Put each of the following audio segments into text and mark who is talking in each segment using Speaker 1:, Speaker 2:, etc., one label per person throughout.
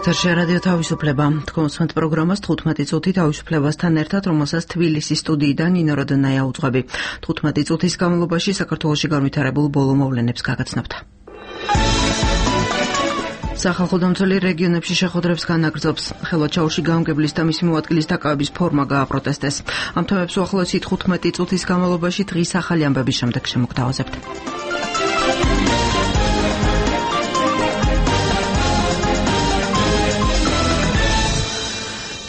Speaker 1: ეთერში რადიო თავისუფლება. თქვენს პროგრამას 15 წუთი თავისუფლებასთან ერთად, რომელსაც თბილისის სტუდიიდან ნინო როდონაია უძღვები. 15 წუთის განმავლობაში საქართველოში განვითარებულ ბოლო მოვლენებს გაგაცნობთ. სახალხო დამცველი რეგიონებში შეხვედრებს განაგრძობს. ხელვაჩაურში გაამგებლის და მისი მოადგილის დაკავების ფორმა გააპროტესტეს. ამ თემებს უახლოესი 15 წუთის განმავლობაში დღის ახალი ამბების შემდეგ შემოგთავაზებთ.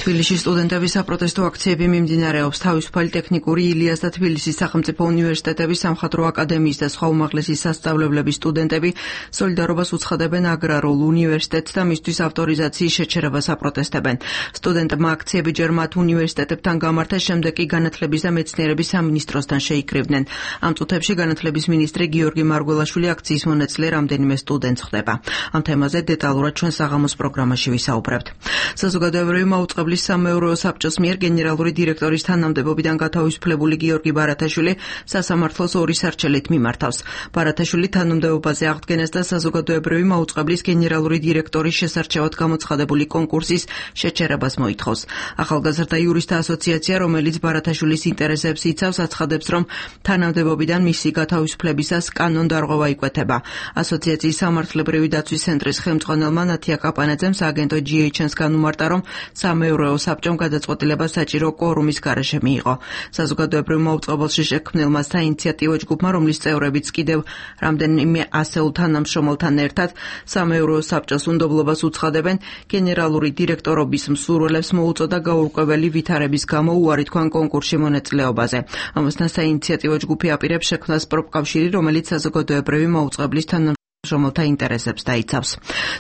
Speaker 1: თბილისში სტუდენტების საპროტესტო აქციები მიმდინარეობს. თავისუფალი ტექნიკური ილიას და თბილისის სახელმწიფო უნივერსიტეტების სამხატვრო აკადემიის და სხვა უმაღლესი სასწავლებლების სტუდენტები სოლიდარობას უცხადებენ აგრარულ უნივერსიტეტს და მისთვის ავტორიზაციის შეჩერებას აპროტესტებენ. სტუდენტებმა აქციები ჯერ მათ უნივერსიტეტებთან გამართეს, შემდეგ კი განათლების და მეცნიერების სამინისტროსთან შეიკრიბნენ. ამ წუთებში განათლების მინისტრი გიორგი მარგველაშვილი აქციის მონაწილე რამდენიმე სტუდენტს ხვდება. ამ თემაზე დეტალურად ჩვენ საღამოს პროგრამაში ვისაუბრებთ. საზოგადოებრივი მაუწყებლობის სამეურვეო საბჭოს მიერ გენერალური დირექტორის თანამდებობიდან გათავისუფლებული გიორგი ბარათაშვილი სასამართლოს ორი სარჩელით მიმართავს. ბარათაშვილი თანამდებობაზე აღდგენას და საზოგადოებრივი მაუწყებლის გენერალური დირექტორის შესარჩევად გამოცხადებული კონკურსის შეჩერებას მოითხოვს. ახალგაზრდა იურისტთა ასოციაცია, რომელიც ბარათაშვილის ინტერესებს იცავს, აცხადებს, რომ თანამდებობიდან მისი გათავისუფლებისას კანონდარღვევა იკვეთება. ასოციაციის სამართლებრივი დაცვის ცენტრის ხელმძღვანელმა ნათია კაპანაძემ სააგენტო GHN-ს განუმარტა, რომ სამეურვეო საბჭომ გადაწყვეტილება საჭირო კვორუმის გარეშე მიიღო. საზოგადოებრივ მაუწყებელში შექმნილმა საინიციატივო ჯგუფმა, რომლის წევრებიც კიდევ რამდენიმე ასეულ თანამშრომელთან ერთად სამეურვეო საბჭოს უნდობლობას უცხადებენ, გენერალური დირექტორობის მსურველებს მოუწოდა გაურკვეველი ვითარების გამო უარი თქვან კონკურსში მონაწილეობაზე. ამასთან საინიციატივო ჯგუფი აპირებს შექმნას პროფკავშირი, რომელიც საზოგადოებრივი მაუწყებლის შრომელთა ინტერესებს დაიცავს.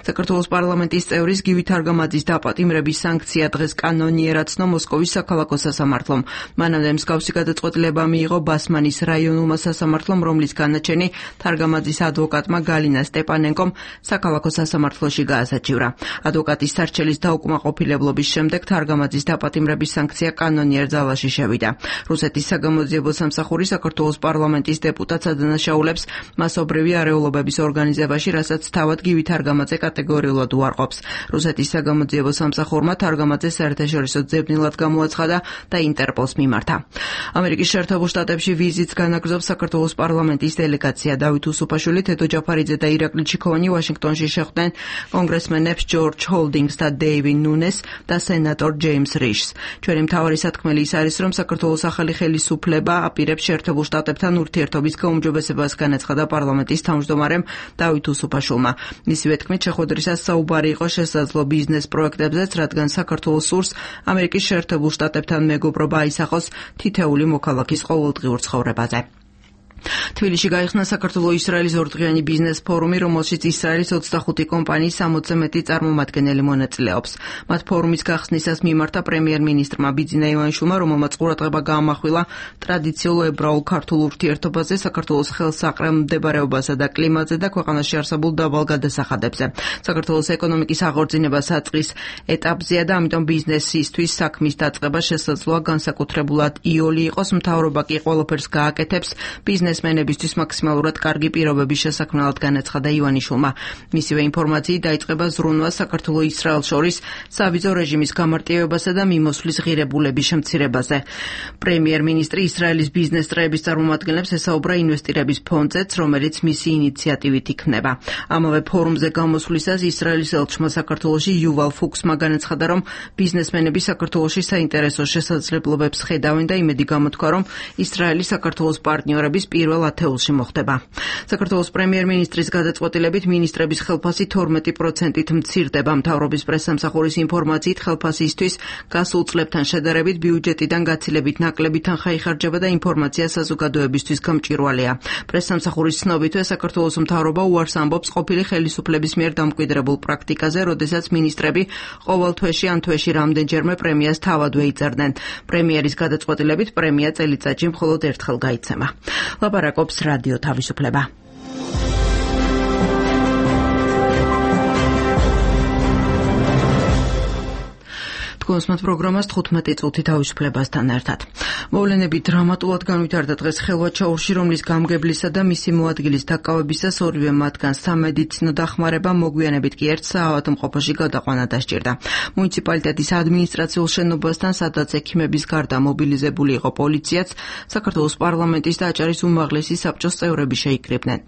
Speaker 1: საქართველოს პარლამენტის წევრის გივი თარგამაძის დაპატიმრების სანქცია დღეს კანონიერად ცნო მოსკოვის საქალაქო სასამართლომ. მანამდე მსგავსი გადაწყვეტილება მიიღო ბასმანის რაიონულმა სასამართლომ, რომლის განაჩენი თარგამაძის ადვოკატმა გალინა სტეპანენკომ საქალაქო სასამართლოში გაასაჩივრა. ადვოკატის სარჩელის დაუკმაყოფილებლობის შემდეგ თარგამაძის დაპატიმრების სანქცია კანონიერ ძალაში შევიდა. რუსეთის საგამოძიებო სამსახური საქართველოს პარლამენტის დეპუტატს ადანაშაულებს მასობრივი არეულობების ორგანიზებაში, რასაც თავად გივი თარგამაძე კატეგორიულად უარყოფს. რუსეთის საგამოძიებო სამსახურმა თარგამაძე საერთაშორისო ძებნელად გამოაცხადა და ინტერპოლს მიმართა. ამერიკის შეერთებულ შტატებში ვიზიტს განაგრძობს საქართველოს პარლამენტის დელეგაცია. დავით უსუფაშვილი, თედო ჯაფარიძე და ირაკლი ჩიქოვანი ვაშინგტონში შეხვდნენ კონგრესმენებს ჯორჯ ჰოლდინგს და დეივიდ ნუნეს და სენატორ ჯეიმს რიშს. ჩვენი მთავარი სათქმელი ის არის, რომ საქართველოს ახალი ხელისუფლება აპირებს შეერთებულ შტატებთან ურთიერთობის გაუმჯობესებას, განაცხადა პარლამენტის თავმჯდომარემ დავით უსუფაშვილმა. მისივე თქმით, შეხვედრისას საუბარი იყო შესაძლო ბიზნეს პროექტებზეც, რადგან საქართველოს სურს ამერიკის შეერთებულ შტატებთან მეგობრობა აისახოს თითეული მოქალაქის ყოველდღიურ ცხოვრებაზე. თბილისში გაიხსნა საქართველო-ისრაელის ორდღიანი ბიზნეს ფორუმი, რომელშიც ისრაელის 25 კომპანიის 60-ზე მეტი წარმომადგენელი მონაწილეობს. მათ ფორუმის გახსნისას მიმართა პრემიერ-მინისტრმა ბიძინა ივანიშვილმა, რომელმაც ყურადღება გაამახვილა ტრადიციულ ებრაულ-ქართულ ურთიერთობაზე, საქართველოს ხელსაყრელმდებარეობასა და კლიმატზე და ქვეყანაში არსებულ დაბალ გადასახადებზე. საქართველოს ეკონომიკის აღორძინება საწყის ეტაპზეა და ამიტომ ბიზნესისთვის საქმის დაწყება შესაძლოა განსაკუთრებულად იოლი იყოს, მთავრობა კი ყველაფერს გააკეთებს ბიზნესმენებისთვის მაქსიმალურად კარგი პირობების შესაქმნელად, განაცხადა ივანიშვილმა. მისივე ინფორმაციით დაიწყება ზრუნვა საქართველო-ისრაელს შორის სავიზო რეჟიმის გამარტივებასა და მიმოსვლის ღირებულების შემცირებაზე. პრემიერ-მინისტრი ისრაელის ბიზნეს წრეების წარმომადგენლებს ესაუბრა ინვესტირების ფონდზეც, რომელიც მისი ინიციატივით იქნება. ამავე ფორუმზე გამოსვლისას ისრაელის ელჩმა საქართველოში იუვალ ფუქსმა განაცხადა, რომ ბიზნესმენები საქართველოში საინტერესო შესაძლებლობებს ხედავენ და იმედი გამოთქვა, რომ ისრაელი საქართველოს პარტნიორების პირველ ათეულში მოხდება. საქართველოს პრემიერ-მინისტრის გადაწყვეტილებით მინისტრების ხელფასი 12%-ით მცირდება. მთავრობის პრესსამსახურის ინფორმაციით, ხელფასისთვის გასულ წლებთან შედარებით ბიუჯეტიდან გაცილებით ნაკლები თანხა იხარჯება და ინფორმაცია საზოგადოებისთვის გამჭვირვალეა. პრესსამსახურის ცნობითვე საქართველოს მთავრობა უარს ამბობს ყოფილი ხელისუფლების მიერ დამკვიდრებულ პრაქტიკაზე, როდესაც მინისტრები ყოველ თვეში ან თვეში რამდენჯერმე პრემიას თავადვე იწერდნენ. პრემიერის გადაწყვეტილებით პრემია წელიწადში მხოლოდ ერთხელ გაიცემა. ლაპარაკობს რადიო თავისუფლება. თქვენს პროგრამას 15 წუთი თავისუფლებასთან ერთად. მოვლენები დრამატულად განვითარდა დღეს ხელვაჩაურში, რომლის გამგებლისა და მისი მოადგილის დაკავებისას ორივე მათგანს სამედიცინო დახმარება, მოგვიანებით კი ერთ საავადმყოფოში გადაყვანა დასჭირდა. მუნიციპალიტეტის ადმინისტრაციულ შენობასთან, სადაც ექიმების გარდა მობილიზებული იყო პოლიციაც, საქართველოს პარლამენტის და აჭარის უმაღლესი საბჭოს წევრები შეიკრიბნენ.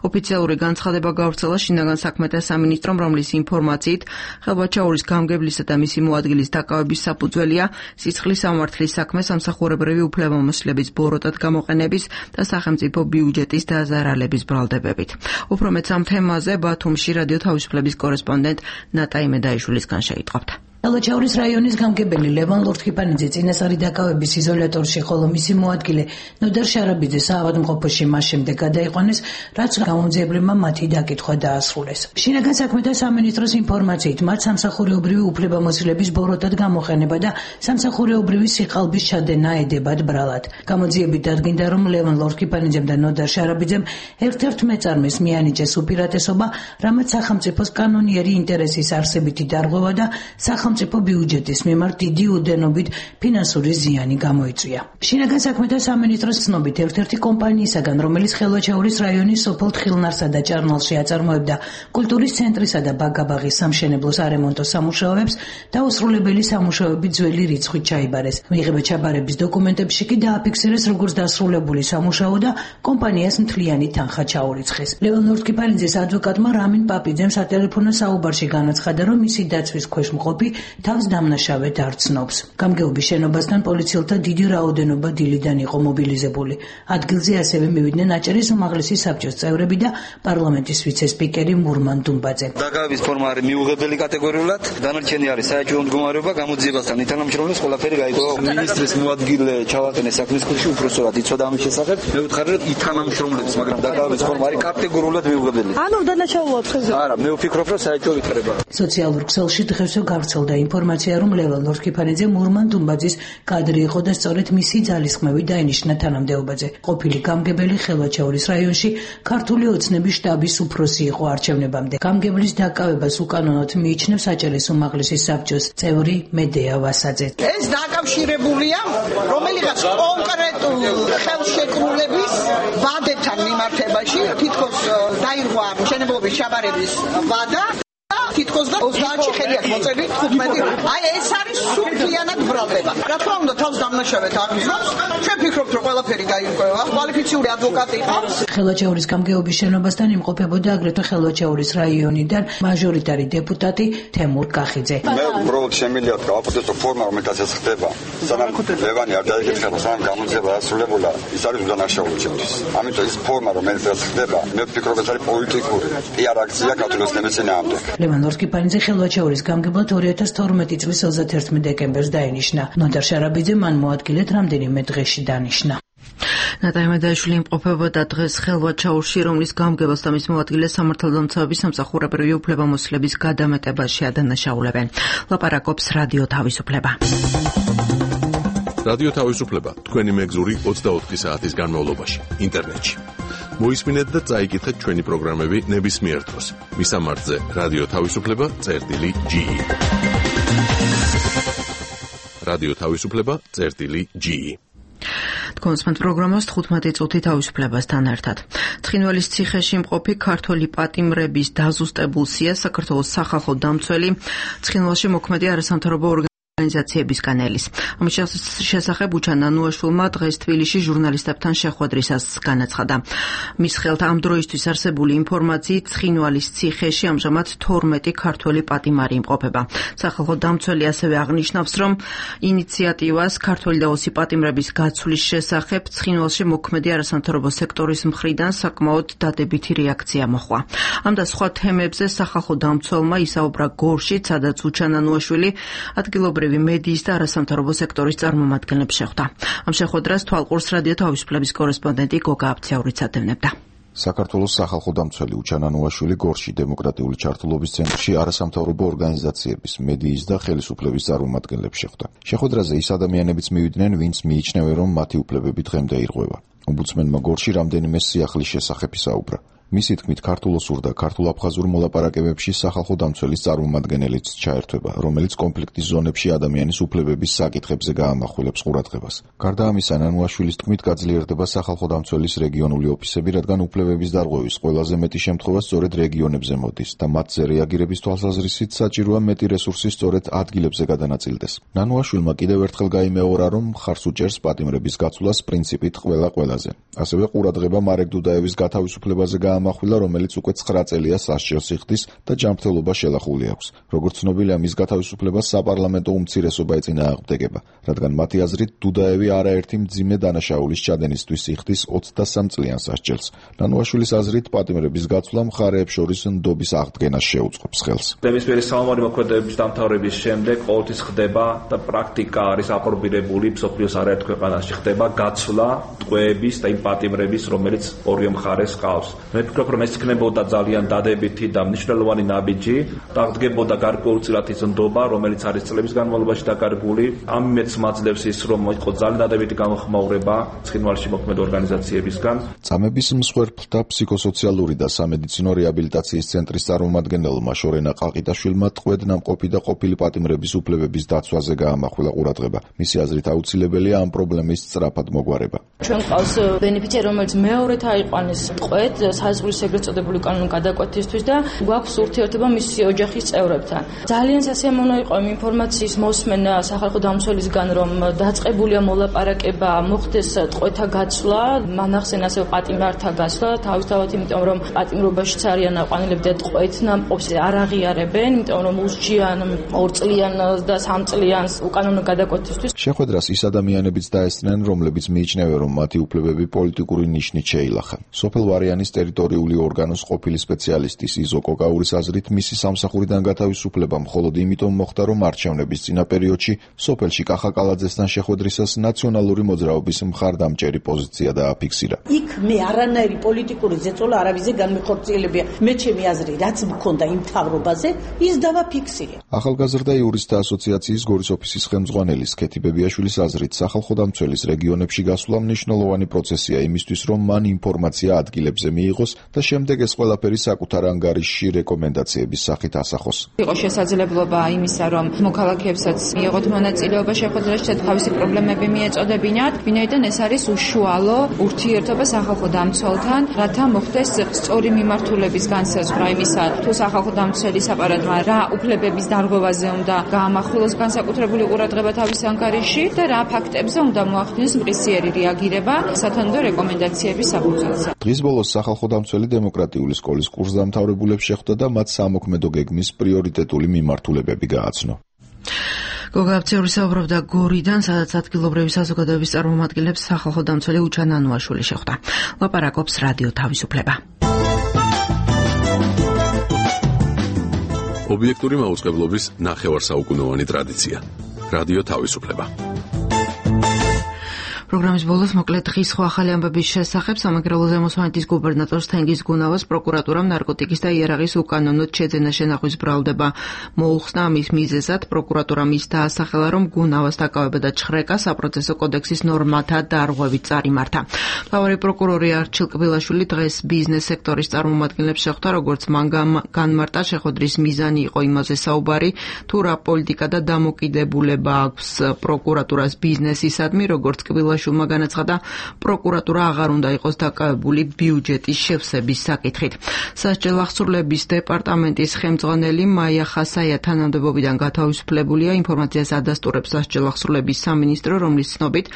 Speaker 1: ოფიციალური განცხადება გავრცელა შინაგან საქმეთა სამინისტრომ, რომლის ინფორმაციით ხელვაჩაურის გამგებლისა და მისი მოადგილის დაკავების საფუძველია სიცხლის სამართლის საქმე, სამსახურებრივი უფლებამოსილების ბოროტად გამოყენების და სახელმწიფო ბიუჯეტის დაზარალების ბრალდებებით. უფრო მეც ამ თემაზე ბათუმში რადიო თავისუფლების კორესპონდენტ ნატა იმედაიშვილისგან შეიტყობთ.
Speaker 2: ხელვაჩაურის რაიონის გამგებელი ლევან ლორთქიფანიძე წინასწარი დაკავების იზოლატორში, ხოლო მისი მოადგილე ნოდარ შარაბიძე საავადმყოფოში მას შემდეგ გადაიყვანეს, რაც გამომძიებლებმა მათი დაკითხვა დაასრულეს. შინაგან საქმეთა სამინისტროს ინფორმაციით, მათ სამსახურეობრივი უფლებამოსილების ბოროტად გამოყენება და სამსახურეობრივი სიყალბის ჩადენა ედებათ ბრალად. გამოძიებით დადგინდა, რომ ლევან ლორთქიფანიძემ და ნოდარ შარაბიძემ ერთ-ერთ მეწარმეს მიანიჭეს უპირატესობა, რამაც სახელმწიფოს კანონიერი ინტერესის არსებითი დარღვევა და სახელმწიფო ბიუჯეტის მიმართ დიდი უდენობით ფინანსური ზიანი გამოიწვია. შინაგან საქმეთა სამინისტროს ცნობით, ერთ-ერთი კომპანიისაგან, რომელიც ხელვაჩაურის რაიონის სოფელ თხილნარსა და ჭარნალში აწარმოებდა კულტურის ცენტრისა და ბაგაბაღის სამშენებლო სარემონტო სამუშაოებს, დაუსრულებელი სამუშაოები ძველი რიცხვით ჩაიბარეს. მიღება ჩაბარების დოკუმენტებში კი დააფიქსირეს როგორც დასრულებული სამუშაო და კომპანიას მთლიანი თანხა ჩაურიცხეს. ლევან ლორთქიფანიძეს ადვოკატმა რამინ პაპიძემ სატელეფონო საუბარში განაცხადა, რომ მისი დაცვის ქვეშ მყოფი თავს დამნაშავედ არ ცნობს. გამგეობის შენობასთან პოლიციელთა დიდი რაოდენობა დილიდან იყო მობილიზებული. ადგილზე ასევე მივიდნენ აჭარის უმაღლესი საბჭოს წევრები და პარლამენტის ვიცე-სპიკერი მურმან დუმბაძე.
Speaker 3: დაკავების ფორმა არის მიუღებელი კატეგორიულად, დანარჩენი არის საეჭვო მდგომარეობა, გამოძიებასთან ითანამშრომლებს ყველაფერი გაიგო. მინისტრის მოადგილე ჩავატენე საქმის კურსში, უბრალოდ იცოდა ამის შესახებ. მე ვუთხარი, რომ ითანამშრომლებს, მაგრამ დაკავების ფორმა არის კატეგორიულად მიუღებელი.
Speaker 4: ანუ დანაშაულობ ხეზე.
Speaker 3: არა, მე ვფიქრობ, რომ საეჭვო ვითარება.
Speaker 2: სოციალურ ქსელში დღესვე გავრცელდა ინფორმაცია, რომ ლევან ლორთქიფანიძე მურმან დუმბაძის კადრი იყო და სწორედ მისი ძალისხმევი დაინიშნა თანამდებობაზე. ყოფილი გამგებელი ხელვაჩაურის რაიონში ქართული ოცნების შტაბის უფროსი იყო არჩევნებამდე. გამგებლის დაკავებას უკანონოდ მიიჩნევს აჭარის უმაღლესი საბჭოს წევრი მედეა ვასაძე.
Speaker 5: ეს დაკავშირებულია რომელიღაც კონკრეტულ ხელშეკრულების ვადებთან მიმართებაში, თითქოს დაირღვა მშენებლობის ჩაბარების ვადა. თითქოს და 30-ში ხელია მოწელი 15. აი ეს არის სრულიანად ბრალდება. რა თქმა უნდა, თავს დამნაშავედ აღიზრავს. ჩვენ ვფიქრობთ, რომ ყველაფერი გაირკვევა. კვალიფიციური ადვოკატი ყავს.
Speaker 2: ხელვაჩაურის გამგეობის შენობასთან იმყოფებოდა აგრეთვე ხელვაჩაურის რაიონიდან მაჟორიტარი დეპუტატი თემურ კახიძე.
Speaker 6: მე უბრალოდ შემიძლია გავაპროტესტო ფორმა, რომელთაც ეს ხდება. სანამ ლევანი არ დაიგეთხება, სანამ გამოძიება დასრულებულა, ის არის უდანაშაული ჩემთვის. ამიტომ ეს ფორმა, რომელთაც ხდება, მე ვფიქრობ, ეს არის პოლიტიკური პიარ აქცია ქართულის წინააღმდეგ.
Speaker 2: ლევან ლორთქიფანიძე ხელვაჩაურის გამგებლად 2012 წლის 31 დეკემბერს დაინიშნა. ნოდარ შარაბიძე მან მოადგილედ რამდენიმე დღეში დანიშნა.
Speaker 1: ნატა იმედაიშვილი იმყოფებოდა დღეს ხელვაჩაურში, რომლის გამგებელს და მის მოადგილეს სამართალდამცავების სამსახურებრივი უფლებამოსილების გადამეტებაში ადანაშაულებენ. ლაპარაკობს რადიო თავისუფლება.
Speaker 7: რადიო თავისუფლება თქვენი მეგზური 24 საათის განმავლობაში ინტერნეტში. მოისმინეთ და წაიკითხეთ ჩვენი პროგრამები ნებისმიერ დროს. მისამართზე რადიო თავისუფლება.ge. რადიო თავისუფლება.ge.
Speaker 1: თქვენს პროგრამას 15 წუთი თავისუფლებასთან ერთად. ცხინვალის ციხეში მყოფი ქართველი პატიმრების დაზუსტებულ სიას საქართველოს სახალხო დამცველი ცხინვალში მოქმედი არასამთავრობო ორგანიზაციებისგან ელის. ამის შესახებ უჩან ნანუაშვილმა დღეს თბილისში ჟურნალისტებთან შეხვედრისას განაცხადა. მის ხელთ ამ დროისთვის არსებული ინფორმაციით ცხინვალის ციხეში ამჟამად 12 ქართველი პატიმარი იმყოფება. სახალხო დამცველი ასევე აღნიშნავს, რომ ინიციატივას ქართველი და ოსი პატიმრების გაცვლის შესახებ ცხინვალში მოქმედი არასამთავრობო სექტორის მხრიდან საკმაოდ დადებითი რეაქცია მოჰყვა. ამ და სხვა თემებზე სახალხო დამცველმა ისაუბრა გორშიც, სადაც უჩან ნანუაშვილი ადგილობრივი მედიის და არასამთავრობო სექტორის წარმომადგენლებს შეხვდა. ამ შეხვედრას თვალყურს რადიო თავისუფლების კორესპონდენტი გოგა აბციაურიც ატევნებდა.
Speaker 8: საქართველოს სახალხო დამცველი უჩან ნანუაშვილი გორში დემოკრატიული ჩართულობის ცენტრში არასამთავრობო ორგანიზაციების, მედიის და ხელისუფლების წარმომადგენლებს შეხვდა. შეხვედრაზე ის ადამიანებიც მივიდნენ, ვინც მიიჩნევენ, რომ მათი უფლებები დღემდე ირღვევა. ომბუდსმენმა გორში რამდენიმე სიახლის შესახებ ისაუბრა. მისი თქმით, ქართულ-ოსურ და ქართულ-აფხაზურ მოლაპარაკებებში სახალხო დამცველის წარმომადგენელიც ჩაერთვება, რომელიც კონფლიქტის ზონებში ადამიანის უფლებების საკითხებზე გაამახვილებს ყურადღებას. გარდა ამისა, ნანუაშვილის თქმით, გაძლიერდება სახალხო დამცველის რეგიონული ოფისები, რადგან უფლებების დარღვევის ყველაზე მეტი შემთხვევა სწორედ რეგიონებზე მოდის და მათზე რეაგირების თვალსაზრისით საჭიროა მეტი რესურსი სწორედ ადგილებზე გადანაწილდეს. ნანუაშვილმა კიდევ ერთხელ გაიმეორა, რომ მხარს უჭერს პატიმრების გაცვლას პრინციპით ყველა-ყველაზე. ასევე ყურადღება მარეკ დუდაევის გათავისუფლებაზე გაამახვილა, რომელიც უკვე 9 წელია სასჯელს იხდის და ჯანმრთელობა შელახული აქვს. როგორც ცნობილია, მის გათავისუფლებას საპარლამენტო უმცირესობა ეწინააღმდეგება, რადგან მათი აზრით დუდაევი არაერთი მძიმე დანაშაულის ჩადენისთვის იხდის 23 წლიან სასჯელს. ნანუაშვილის აზრით, პატიმრების გაცვლა მხარეებს შორის ნდობის აღდგენას შეუწყობს ხელს.
Speaker 4: ნებისმიერი საომარი მოქმედებების დამთავრების შემდეგ ყოველთვის ხდება და პრაქტიკა არის აპრობირებული მსოფლიოს არაერთ ქვეყანაში ხდება გაცვლა ტყვეების და იმ პატიმრების, რომელიც ორივე მხარეს ჰყავს. მე ვფიქრობ, რომ ეს იქნებოდა ძალიან დადებითი და მნიშვნელოვანი ნაბიჯი და აღდგებოდა გარკვეულწილად ის ნდობა, რომელიც არის წლების განმავლობაში დაკარგული. ამით მაძლევს ის, რომ იყო ძალიან დადებითი გამოხმაურება ცხინვალში მოქმედ ორგანიზაციებისგან.
Speaker 8: წამების მსხვერპლთა ფსიქოსოციალური და სამედიცინო რეაბილიტაციის ცენტრის წარმომადგენელმა შორენა ყაყიდაშვილმა ტყვედ ნამყოფი და ყოფილი პატიმრების უფლებების დაცვაზე გაამახვილა ყურადღება. მისი აზრით აუცილებელია ამ პრობლემის სწრაფად მოგვარება.
Speaker 9: ჩვენ ყავს ბენეფიციარი, რომელიც მეორედ აიყვანეს ტყვედ საზღვრის ეგრეთ წოდებული კანონური გადაკვეთისთვის და გვაქვს ურთიერთობა მისი ოჯახის წევრებთან. ძალიან სასიამოვნო იყო იმ ინფორმაციის მოსმენა სახალხო დამცველისგან, რომ დაწყებულია მოლაპარაკება, მოხდეს ტყვეთა გაცვლა, მანახსენ ასევე პატიმართა გაცვლა, თავისთავად იმიტომ, რომ პატიმრობაშიც არიან აყვანილები და ტყვეთ ნამყოფს არ აღიარებენ, იმიტომ რომ უსჯიან 2 წლიან და 3 წლიან უკანონო გადაკვეთისთვის.
Speaker 8: შეხვედრას ის ადამიანებიც დაესწრნენ, რომლებიც მიიჩნევენ, რომ მათი უფლებები პოლიტიკური ნიშნით შეილახა. სოფელ ვარიანის ტერიტორიული ორგანოს ყოფილი სპეციალისტის იზო კოკაურის აზრით, მისი სამსახურიდან გათავისუფლება მხოლოდ იმიტომ მოხდა, რომ არჩევნების წინა პერიოდში სოფელში კახაკალაძესთან შეხვედრისას ნაციონალური მოძრაობის მხარდამჭერი პოზიცია დააფიქსირა.
Speaker 10: იქ მე არანაირი პოლიტიკური ზეწოლა არავიზე განმეხორციელებია. მე ჩემი აზრი, რაც მქონდა იმ მთავრობაზე, ის დავაფიქსირე.
Speaker 8: ახალგაზრდა იურისტთა ასოციაციის გორის ოფისის ხელმძღვანელი ქეთი ბებიაშვილის აზრით, სახალხო დამცველის რეგიონებში გასვლა მნიშვნელოვანი პროცესია იმისთვის, რომ მან ინფორმაცია ადგილებზე მიიღოს და შემდეგ ეს ყველაფერი საკუთარ ანგარიშში რეკომენდაციების სახით ასახოს.
Speaker 11: იყო შესაძლებლობა იმისა, რომ მოქალაქეებსაც მიიღოთ მონაწილეობა შეხვედრაში და თავისი პრობლემები მიეწოდებინათ, ვინაიდან ეს არის უშუალო ურთიერთობა სახალხო დამცველთან, რათა მოხდეს სწორი მიმართულების განსაზღვრა იმისა, თუ სახალხო დამცველის აპარატმა რა უფლებების დარღვევაზე უნდა გაამახვილოს განსაკუთრებული ყურადღება თავის ანგარიშში და რა ფაქტებზე უნდა მოახდინოს მყისიერი რეაგირება სათანადო რეკომენდაციების საფუძველზე.
Speaker 8: დღის ბოლოს სახალხო დამცველი დემოკრატიული სკოლის კურსდამთავრებულებს შეხვდა და მათ სამოქმედო გეგმის პრიორიტეტული მიმართულებები გააცნო.
Speaker 1: გოგაბცეული საუბრობდა გორიდან, სადაც ადგილობრივი საზოგადოების წარმომადგენლებს სახალხო დამცველი უჩა ნანუაშვილი შეხვდა. ლაპარაკობს რადიო თავისუფლება.
Speaker 7: ობიექტური მაუწყებლობის ნახევარსაუკუნოვანი ტრადიცია. რადიო თავისუფლება.
Speaker 1: პროგრამის ბოლოს მოკლედ დღის სხვა ახალი ამბების შესახებ სამაგრელო ზემოსვანეთის გუბერნატორს თენგიზ გუნავას პროკურატურამ ნარკოტიკის და იარაღის უკანონოდ შეძენა შენახვის ბრალდება მოუხსნა. ამის მიზეზად პროკურატურამ ის დაასახელა, რომ გუნავას დაკავება და ჩხრეკა საპროცესო კოდექსის ნორმათა დარღვევით წარიმართა. მთავარი პროკურორი არჩილ კბილაშვილი დღეს ბიზნეს სექტორის წარმომადგენლებს შეხვდა, როგორც მან განმარტა, შეხვედრის მიზანი იყო იმაზე საუბარი, თუ რა პოლიტიკა და დამოკიდებულება აქვს პროკურატურას ბიზნესისადმი, როგორც კბილაშვილმა განაცხადა, პროკურატურა აღარ უნდა იყოს დაკავებული ბიუჯეტის შევსების საკითხით. სასჯელ აღსრულების დეპარტამენტის ხელმძღვანელი მაია ხასაია თანამდებობიდან გათავისუფლებულია. ინფორმაციას ადასტურებს სასჯელ აღსრულების სამინისტრო, რომლის ცნობით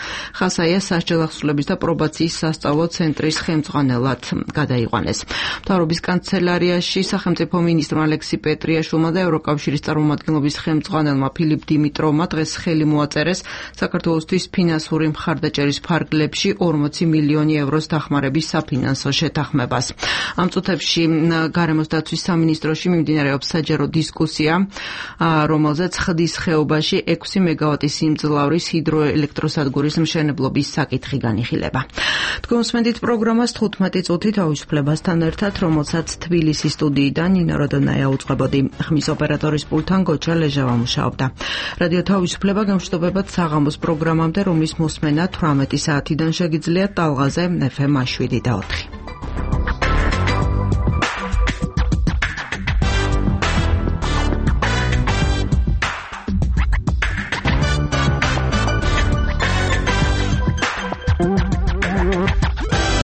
Speaker 1: ხასაია სასჯელ აღსრულების და პრობაციის სასწავლო ცენტრის ხელმძღვანელად გადაიყვანეს. მთავრობის კანცელარიაში სახელმწიფო მინისტრმა ალექსი პეტრიაშვილმა და ევროკავშირის წარმომადგენლობის ხელმძღვანელმა ფილიპ დიმიტროვმა დღეს ხელი მოაწერეს საქართველოსთვის ფინანსური მხარდაჭერის ფარგლებში 40 მილიონი ევროს დახმარების საფინანსო შეთანხმებას. ამ წუთებში გარემოს დაცვის სამინისტროში მიმდინარეობს საჯარო დისკუსია, რომელზეც ხდის ხეობაში 6 მეგავატის სიმძლავრის ჰიდროელექტროსადგურის მშენებლობის საკითხი განიხილება. თქვენ უსმენთ პროგრამას 15 წუთით თავისუფლებასთან ერთად, რომელსაც თბილისის სტუდიიდან ნინო როდონაია უწყებოდი. ხმის ოპერატორის პულტთან გოჩა ლეჟავა მუშაობდა. რადიო თავისუფლება გამშვიდობებად საღამოს პროგრამამდე, რომლის მოსმენა 18 საათიდან შეგიძლიათ ტალღაზე FM 7 და 4.